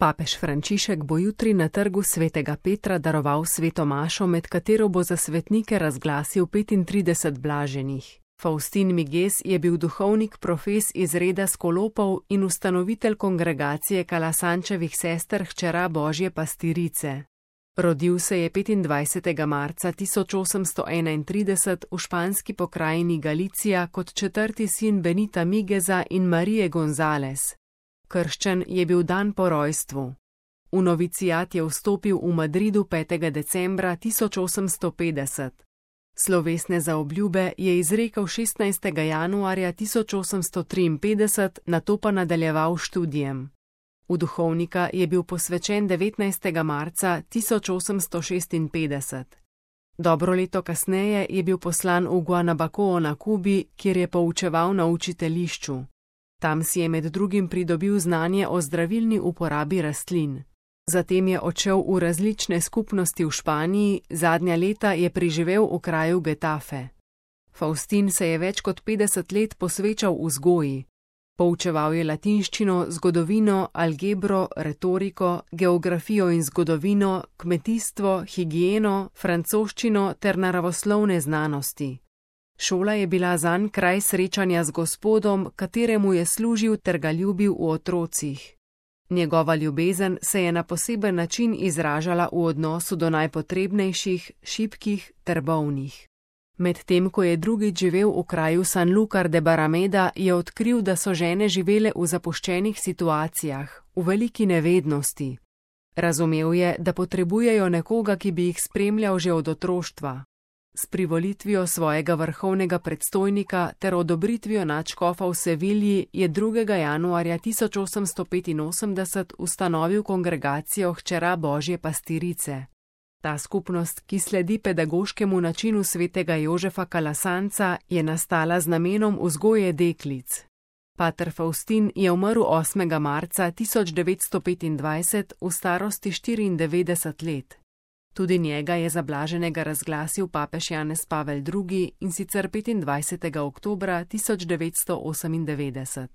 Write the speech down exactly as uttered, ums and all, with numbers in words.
Papež Frančišek bo jutri na trgu svetega Petra daroval sveto mašo, med katero bo za svetnike razglasil petintrideset blaženih. Faustin Miges je bil duhovnik profes iz reda skolopov in ustanovitelj kongregacije Kalasančevih sester Hčera Božje pastirice. Rodil se je petindvajsetega marca tisoč osemsto enaintrideset v španski pokrajini Galicija kot četrti sin Benita Migeza in Marije González. Krščen je bil dan po rojstvu. V novicijat je vstopil v Madridu petega decembra tisoč osemsto petdeset. Slovesne zaobljube je izrekel šestnajstega januarja tisoč osemsto triinpetdeset, nato pa nadaljeval študijem. V duhovnika je bil posvečen devetnajstega marca tisoč osemsto šestinpetdeset. Dobro leto kasneje je bil poslan v Guanabacoa na Kubi, kjer je poučeval na učiteljišču. Tam si je med drugim pridobil znanje o zdravilni uporabi rastlin. Zatem je odšel v različne skupnosti v Španiji, zadnja leta je preživel v kraju Getafe. Faustin se je več kot petdeset let posvečal vzgoji. Poučeval je latinščino, zgodovino, algebro, retoriko, geografijo in zgodovino, kmetijstvo, higieno, francoščino ter naravoslovne znanosti. Šola je bila zanj kraj srečanja z Gospodom, kateremu je služil ter ga ljubil v otrocih. Njegova ljubezen se je na poseben način izražala v odnosu do najpotrebnejših, šibkih ter bolnih. Medtem ko je drugič živel v kraju Sanlúcar de Barrameda, je odkril, da so žene živele v zapuščenih situacijah, v veliki nevednosti. Razumel je, da potrebujejo nekoga, ki bi jih spremljal že od otroštva. S privolitvijo svojega vrhovnega predstojnika ter odobritvijo nadškofa v Sevilji je drugega januarja tisoč osemsto petinosemdeset ustanovil kongregacijo Hčera Božje pastirice. Ta skupnost, ki sledi pedagoškemu načinu svetega Jožefa Kalasanca, je nastala z namenom vzgoje deklic. Pater Faustin je umrl osmega marca tisoč devetsto petindvajset v starosti štiriindevetdeset let. Tudi njega je za blaženega razglasil papež Janez Pavel drugi in sicer petindvajsetega oktobra tisoč devetsto osemindevetdeset.